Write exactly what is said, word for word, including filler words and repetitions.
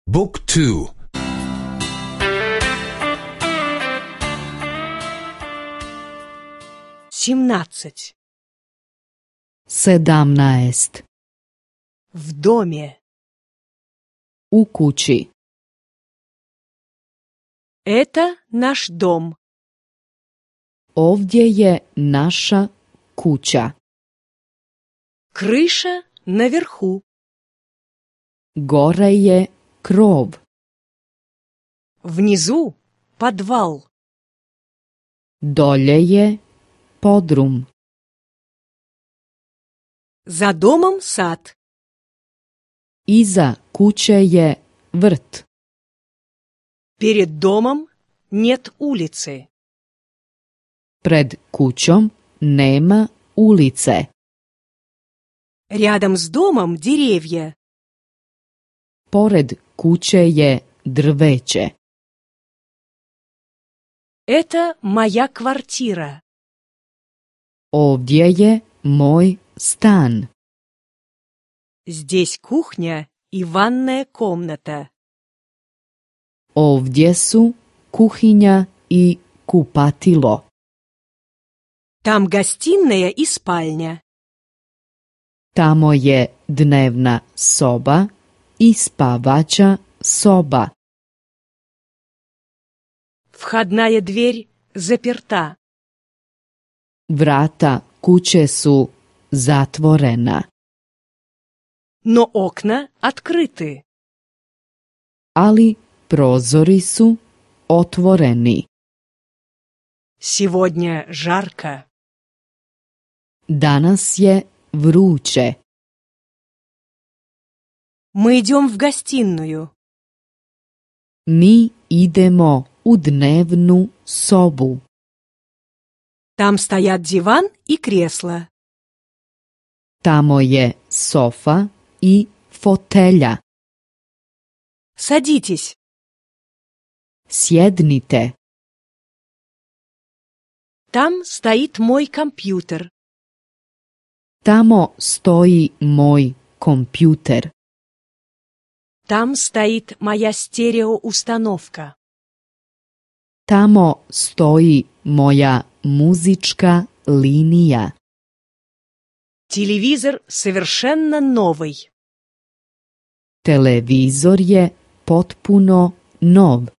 بوك تو семнадцать. sedamnaest. В доме. U kući. Это наш дом. Ovdje je naša kuća. Крыша наверху. Gore je krov. Внизу подвал. Dolje je podrum. За домом сад. Iza kuće je vrt. Перед домом нет улицы. Pred kućom nema ulice. Рядом с домом деревья. Pored kuće je drveće. Это моя квартира. Ovdje je moj stan. Здесь кухня и ванная комната. Ovdje su kuhinja i kupatilo. Там гостиная и спальня. Tamo je dnevna soba i spavaća soba. Входная дверь заперта. Vrata kuće su zatvorena, Но окна открыты. ali prozori su otvoreni. Сегодня жарко. Danas je vruće. Мы идем в гостиную. Mi idemo u dnevnu sobu. Там стоят диван и кресло. Tamo je sofa i fotelja. Садитесь. Sjednite. Там стоит мой компьютер. Tamo stoji moj kompjuter. Там стоит моя стереоустановка. Tamo stoji moja muzička linija. Телевизор совершенно новый. Televizor je potpuno nov.